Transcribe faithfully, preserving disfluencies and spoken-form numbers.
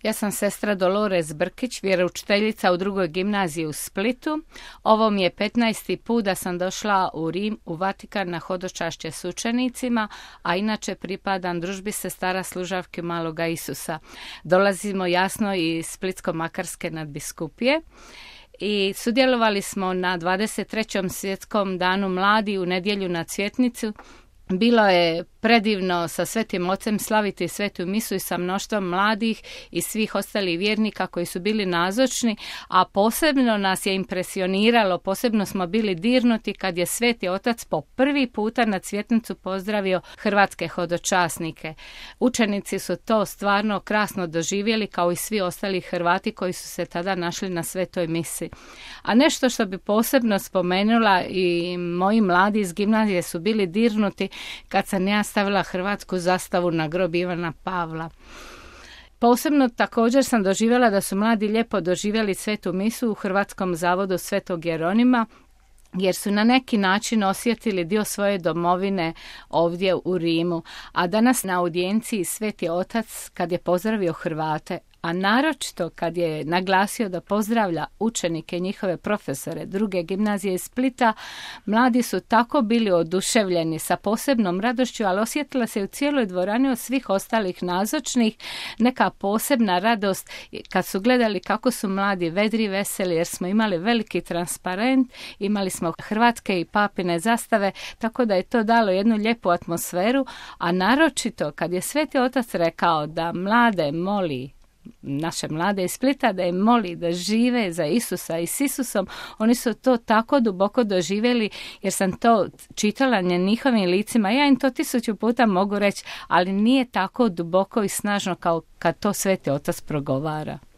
Ja sam sestra Dolores Brkić, vjeroučiteljica u drugoj gimnaziji u Splitu. Ovo mi je petnaesti put da sam došla u Rim, u Vatikan na hodočašće s učenicima, a inače pripadam družbi sestara služavke Maloga Isusa. Dolazimo jasno iz Splitsko-makarske nadbiskupije i sudjelovali smo na dvadeset trećem svjetskom danu mladi u nedjelju na Cvjetnicu. Bilo je predivno sa Svetim Ocem slaviti Svetu misu i sa mnoštvom mladih i svih ostalih vjernika koji su bili nazočni, a posebno nas je impresioniralo, posebno smo bili dirnuti kad je Sveti Otac po prvi puta na Cvjetnicu pozdravio hrvatske hodočasnike. Učenici su to stvarno krasno doživjeli, kao i svi ostali Hrvati koji su se tada našli na Svetoj misi. A nešto što bi posebno spomenula, i moji mladi iz gimnazije su bili dirnuti kad sam ja stavila hrvatsku zastavu na grob Ivana Pavla. Posebno također sam doživjela da su mladi lijepo doživjeli Svetu misu u Hrvatskom zavodu Svetog Jeronima, jer su na neki način osjetili dio svoje domovine ovdje u Rimu. A danas na audijenciji Sveti Otac, kad je pozdravio Hrvate, a naročito kad je naglasio da pozdravlja učenike i njihove profesore druge gimnazije iz Splita, mladi su tako bili oduševljeni sa posebnom radošću, ali osjetila se u cijeloj dvorani od svih ostalih nazočnih neka posebna radost kad su gledali kako su mladi vedri, veseli, jer smo imali veliki transparent, imali smo hrvatske i papine zastave, tako da je to dalo jednu lijepu atmosferu, a naročito kad je Sveti Otac rekao da mlade moli, naše mlade iz Splita, da im moli da žive za Isusa i s Isusom, oni su to tako duboko doživjeli, jer sam to čitala na njihovim licima. Ja im to tisuću puta mogu reći, ali nije tako duboko i snažno kao kad to Sveti Otac progovara.